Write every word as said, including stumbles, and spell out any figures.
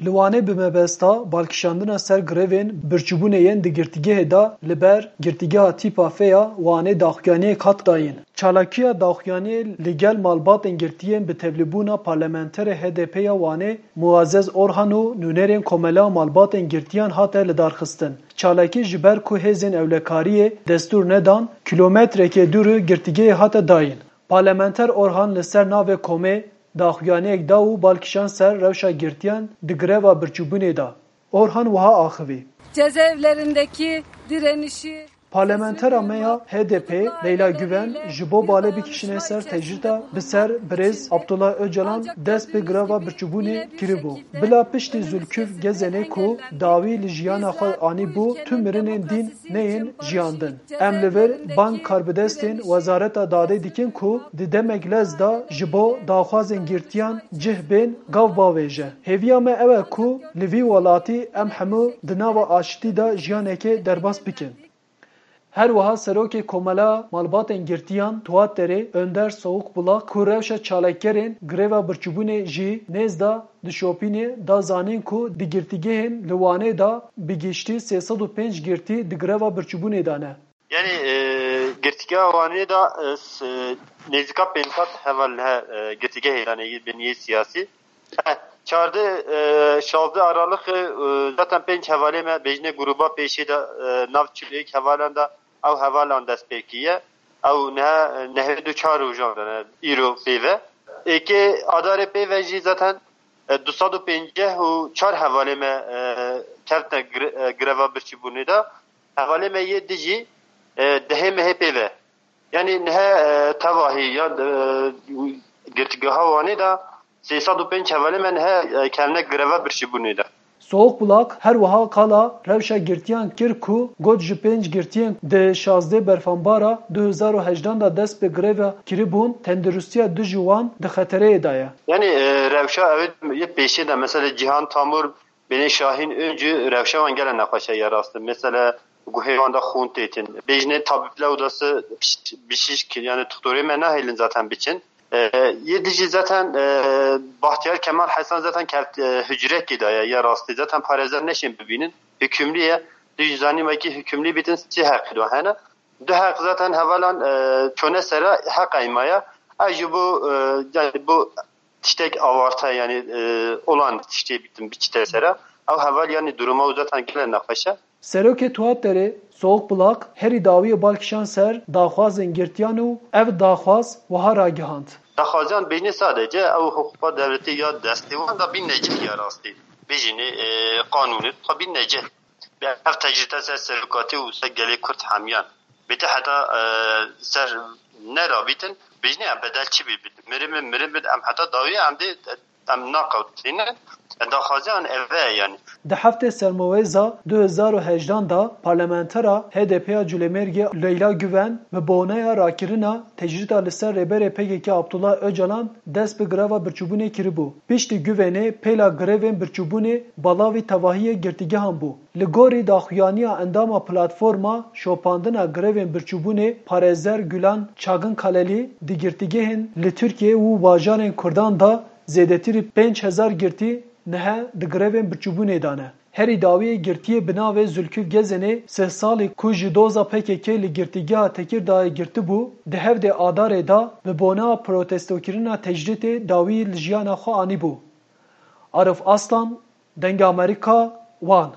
Li Wanê bi mebesta balkişandina ser grevên birçîbûnê yên di girtîgehê de li ber girtîgeha Tîpa F ya Wanê daxuyaniyek hat dayîn. Çalakiya daxuyaniyê li gel malbatên girtiyên bi tevlîbûna parlamenterê H D P ya Wanê Muazzez Orhan û nûnerên Komela Malbatên Girtiyan hate lidarxistin. Çalakî ji ber ku hêzên ewlekariyê destûr nedan, kîlometrekê dûrî girtîgehê hate dayîn. Parlamenter Orhan li ser navê komê daxuyaniyek da û bal kişand ser rewşa girtiyan di greva birçîbûnê de. Orhan wiha axivî. Cezaevlerindeki direnişi Parlamentera me ya H D P Leyla Güven ji bo balê bikişîne ser tecrîda bi ser birêz Abdullah Öcalan dest bi greva birçîbûnê kiribû. Bila piştî Zülküf Gezenê ku dawî li jiyana xwe anîbû, tu mirinên dîn neyên jiyandin. Em li vir bang karbidestên Wezareta Dadê dikin ku di demek lez de ji bo daxwazên girtiyan cih bên gav bavêje. Hêviya me ew e ku li vî welatî em hemû di nava aştî de jiyanekê derbas bikin. Her wiha Serokê Komela Malbatên Girtiyan Tuaterê Önder Soğukbulak ku rewşa çalakgerên greva birçîbûnê jî nêz da dişopînê da zanîn ku di girtîgehên li Wanê de bi giştî sê sed û pênc girtî di greva birçîbûnê de ne. Yanî, e, girtîgeha Wanê de, e, s-, e, nêzîka pênc sed heval he, e, girtîgehê de ne yê biniyê siyasî. Heh, çardeh, e, şazdeh Aralık, e, zaten pênc hevalê me bêjne gruba pêşê de, e, nav çilêk hevalan de ew hevalan dest pê kiye. Ew niha, e, nehê du çar rojan de ne, îro pê ve. Êkê Adarê pê ve jî zaten, e, du sed û pêncî û çar hevalê me, e, kevtine gre-, e, greva birçîbûnê de. Hevalê me yê dijî, e, dehê mehê pê ve. Yanî nihe, e, tevahî ya, e, girtîgeha Wanê de sê sed û pênc hevalê me nihe, e, kevne greva birçîbûnê de. Soğukbulak her wiha qala rewşa girtiyan kir ku got ji pênc girtiyên di şazdeh Berfanbara du hezar û hejdan de dest bi greva kiribûn, tenduristiya dijî wan di xetereyê de ye. Yanî, e, rewşa ew yê pêşê de, mesela Cihan Tamur, Binê Şahîn Öncü rewşa wan gelek nexweş e ya rast e. Mesela guhê wan de xûn têtin. Bêjinê tabîb lew dası biş-, bişişk, yani doktorê me nahêlin zaten biçin. E, yê dijî zaten, e, Bahtiyar Kemal Hesen zaten kevt, e, hücrekê de ye, ya rastî. Zaten parêzer neşên bibînin. Hükümlü ye. Dijî zanî me ki hükümlü bitin sê heqî de hene. Du heq zaten hevalan, e, çone sera heq eymaya. Ez ji bo, e, yani bo tiştek avarta, yani, e, olan tiştê bitin biçite sera. Ew heval, yani, duruma û zaten gele nexweş e. Serokê Tuaterê Soğukbulak herî dawiyê bal kişand ser daxwazên girtiyan û ev daxwaz wiha ragihand. Daxwaziyan bêjinê sadece ew hiqûqa dewletê ya destê wan da bîn necih ya rastî. Bêjinê, e, qanûnê xwe bîn necih. Ev tecrîde ser serokatê û ser gelê Kurd hemiyan. Bête heta, e, ser nerabîtin, bêjinê em bedel çi bî bidin. Mirin bin, mirin bin, em heta dawiyê em dê, em naqewtînin. Daxwaziyan ev e yani. Di heftê Sermewêza du hezar û hejdan de parlamentera H D P ya Culemêrgê Leyla Güven bi boneya rakirina tecrîda li ser rêberê P K K Abdullah Öcalan dest bi greva birçîbûnê kiribû. Piştî Güvenê pêla grevên birçîbûnê balavî tevahiyê girtîgehan bû. Li gorî daxuyaniya endama Platforma Şopandina Grevên Birçîbûnê parêzer Gulan Çagin Kalelî, di girtîgehên li Tirkiyeyê û bajarên Kurdan de zêdetirî pênc hezar girtî nihe di grevên birçîbûnê de ne. Herî dawiyê girtiyê bi navê Zülküf Gezenê sih salî ku ji doza P K K li girtîgeha Tekirdağê girtibû, di hevdê Adarê de bi bona protestokirina tecrîtê dawî li jiyana xwe anîbû. Arif Aslan, Dengê Amerîka, Wan.